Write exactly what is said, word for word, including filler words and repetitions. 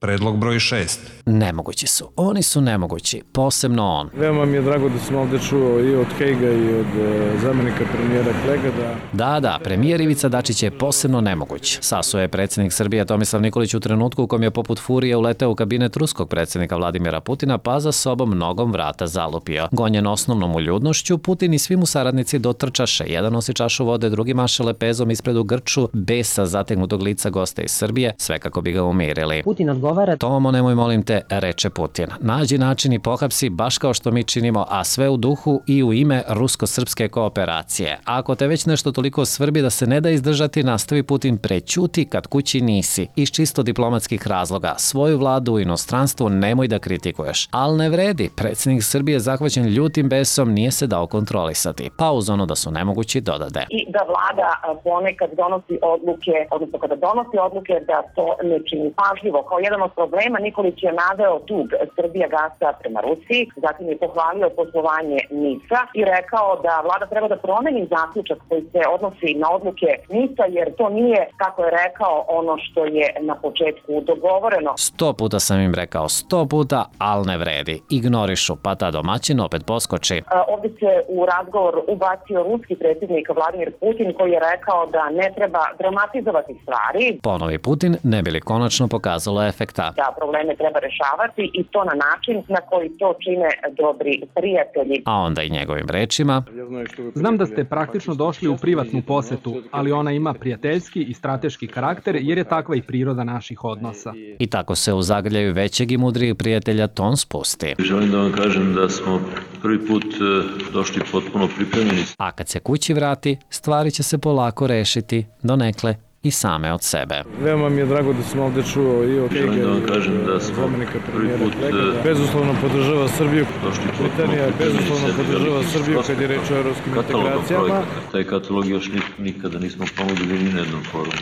Predlog broj šest. Nemogući su. Oni su nemogući, posebno on. Veoma mi je drago da sam ovde čuo i od Hejga i od zamenika premijera Klega da... Da, da, premijer Ivica Dačić je posebno nemoguć. Sasuo je predsjednik Srbije Tomislav Nikolić u trenutku u kom je poput furije uleteo u kabinet ruskog predsjednika Vladimira Putina, pa za sobom nogom vrata zalupio. Gonjen osnovnom uljudnošću, Putin i svi mu saradnici dotrčaše. Jedan nosi čašu vode, drugi maše lepezom ispred u grču, besa zategnutog lica gosta iz Srbije, sve kako bi ga umirili. Putin odgovara. Tomo, nemoj molim te, reče Putin. Nađi način i pohapsi baš kao što mi činimo, a sve u duhu i u ime rusko-srpske kooperacije. Ako te već nešto toliko svrbi da se ne da izdržati, nastavi Putin, prećuti kad kući nisi. Iz čisto diplomatskih razloga. Svoju vladu u inostranstvu nemoj da kritikuješ. Al ne vredi. Predsjednik Srbije zahvaćen ljutim besom nije se dao kontrolisati. Pa uz ono da su nemogući dodade. I da vlada ponekad donosi odluke, odnosno kada donosi odluke da to ne čini pažljivo. Kao jedan od problema Nikolić je naveo dug Srbijagasa prema Rusiji, zatim je pohvalio poslovanje NIS-a i rekao da vlada treba da promeni zaključak koji se odnosi na odluke NIS-a, jer to nije, kako je rekao, ono što je na početku dogovoreno. Sto puta sam im rekao, sto puta, al ne vredi. Ignorišu, pa ta domaćin opet poskoči. A, ovdje se u razgovor ubacio ruski predsjednik Vladimir Putin, koji je rekao da ne treba dramatizovati stvari. Ponovi Putin, ne bi li konačno pokazalo efekta. Da probleme treba rešavati i to na način na koji to čine dobri prijatelji. A onda i njegovim rečima. Znam da ste praktično došli u privatnu posetu, ali ona ima prijateljski i strateški karakter jer je takva i priroda naših odnosa. I tako se u zagrljaju većeg i mudrijeg prijatelja ton spusti. Želim da vam kažem da smo prvi put došli potpuno pripremljeni. A kad se kući vrati, stvari će se polako rešiti, donekle i same od sebe. Veoma mi je drago da sam ovde čuo i od Hejga i od zamenika premijera Klega da bezuslovno podržava Srbiju. Britanija bezuslovno podržava Srbiju kad je reč o evropskim integracijama. Taj katalog još nikada nismo pomogli ni na jednom forumu.